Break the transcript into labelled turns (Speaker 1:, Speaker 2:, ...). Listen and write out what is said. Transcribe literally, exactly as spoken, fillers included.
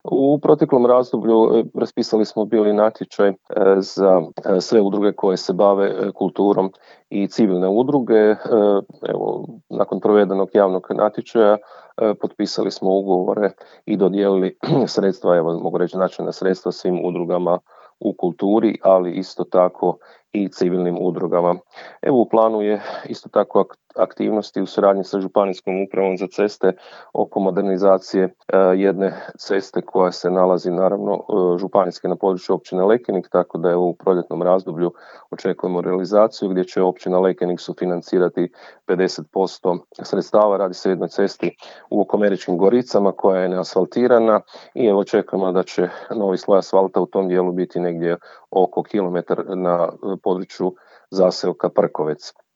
Speaker 1: U proteklom razdoblju e, raspisali smo bili natječaj e, za e, sve udruge koje se bave e, kulturom i civilne udruge. E, Evo, nakon provedenog javnog natječaja e, potpisali smo ugovore i dodijelili sredstva, evo mogu reći značajna sredstva svim udrugama u kulturi, ali isto tako i civilnim udrugama. Evo, u planu je isto tako ak- aktivnosti u suradnji sa Županijskom upravom za ceste oko modernizacije e, jedne ceste koja se nalazi naravno e, županijske na području općine Lekenik, tako da je u proljetnom razdoblju očekujemo realizaciju gdje će općina Lekenik sufinancirati pedeset posto sredstava. Radi se o jednoj cesti u Okomeričkim Goricama koja je neasfaltirana i evo očekujemo da će novi sloj asfalta u tom dijelu biti negdje oko kilometar na području zaseoka Prkovec.